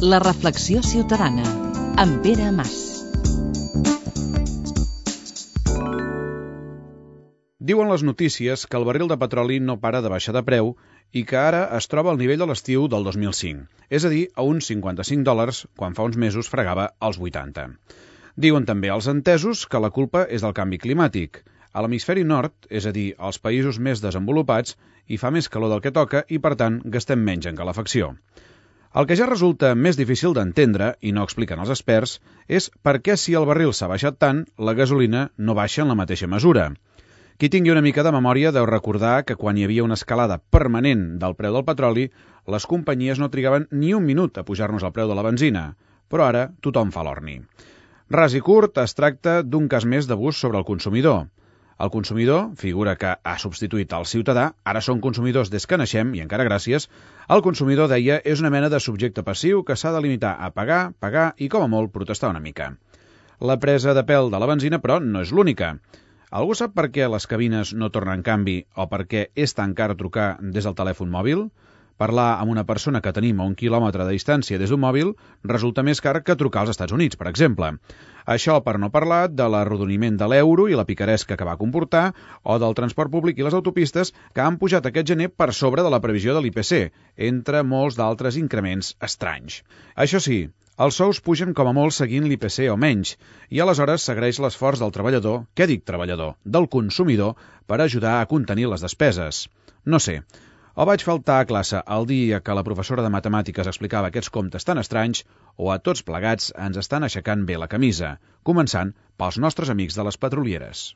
La reflexió ciutadana, amb Pere Mas. Diuen les notícies que el barril de petroli no para de baixar de preu i que ara es troba al nivell de l'estiu del 2005, és a dir, a uns $55, quan fa uns mesos fregava els 80. Diuen també els entesos que la culpa és del canvi climàtic. A l'hemisferi nord, és a dir, als països més desenvolupats, hi fa més calor del que toca i, per tant, gastem menys en calefacció. El que ja resulta més difícil d'entendre, i no expliquen els experts, és per què si el barril s'ha baixat tant, la gasolina no baixa en la mateixa mesura. Qui tingui una mica de memòria deu recordar que quan hi havia una escalada permanent del preu del petroli, les companyies no trigaven ni un minut a pujar-nos el preu de la benzina, però ara tothom fa l'orni. Ras i curt, es tracta d'un cas més d'abús sobre el consumidor. El consumidor, figura que ha substituït el ciutadà, ara són consumidors des que naixem, i encara gràcies, el consumidor, deia, és una mena de subjecte passiu que s'ha de limitar a pagar i, com a molt, protestar una mica. La presa de pèl de la benzina, però, no és l'única. Algú sap per què les cabines no tornen canvi o per què és tan car trucar des del telèfon mòbil? Parlar amb una persona que tenim a 1 quilòmetre de distància des d'un mòbil resulta més car que trucar als Estats Units, per exemple. Això per no parlar de l'arrodoniment de l'euro i la picaresca que va comportar, o del transport públic i les autopistes que han pujat aquest gener per sobre de la previsió de l'IPC, entre molts d'altres increments estranys. Això sí, els sous pugen com a molt seguint l'IPC o menys, i aleshores s'agraeix l'esforç del treballador, què dic treballador, del consumidor, per ajudar a contenir les despeses. No sé, o vaig faltar a classe el dia que la professora de matemàtiques explicava aquests comptes tan estranys, o a tots plegats ens estan aixecant bé la camisa, començant pels nostres amics de les petrolieres.